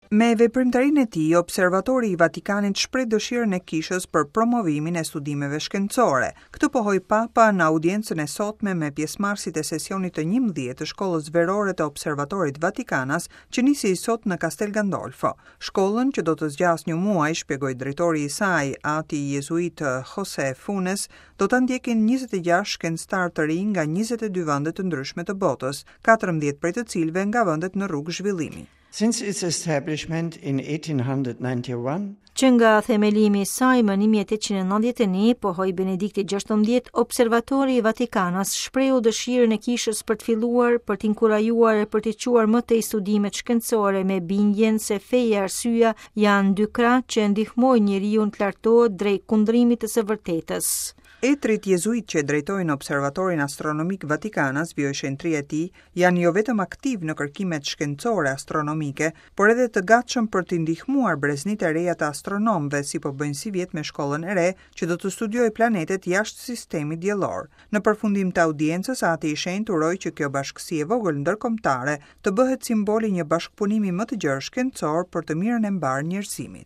Me veprimtarinë e tij, Observatori i Vatikanit shpreh dëshirën e Kishës për promovimin e studimeve shkencore. Këtë pohoi Papa në audiencën e sotme me pjesëmarrësit e sesionit të 11 të Shkollës Verore të Observatorit Vatikanas, që nisi sot në Castel Gandolfo. Shkollën, që do të zgjasë një muaj, shpjegoi drejtori i saj, ati jezuit Jose Funes, do ta ndjekin 26 shkencëtarë të rinj nga 22 vende të ndryshme të botës, 14 prej të cilëve nga vendet në rrugë zhvillimi. Since its establishment in 1891, Që nga themelimi i saj më 1891, pohoi Benedikti XVI, Observatori i Vatikanas shprehu dëshirën e kishës për të filluar, për të inkurajuar e për të çuar më tej studimet shkencore me bindjen se feja e arsyeja janë dy krahë që e ndihmojnë njeriun të lartohet drejt kundrimit të së vërtetës. Etërit jezuitë që drejtojnë Observatorin Astronomik Vatikanas, vijoi shenjtëria e tij, janë jo vetëm aktivë në kërkimet shkencore astronomike, por edhe të gatshëm për të ndihmuar breznitë e reja të astronomëve, si po bëjnë sivjet me shkollën e re, që do të studiojë planetet jashtë sistemit diellor. Në përfundim të audiencës, Ati i Shenjtë uroi që kjo bashkësi e vogël ndërkombëtare të bëhet simbol i një bashkëpunimi më të gjerë shkencor për të mirën e mbarë njerëzimit.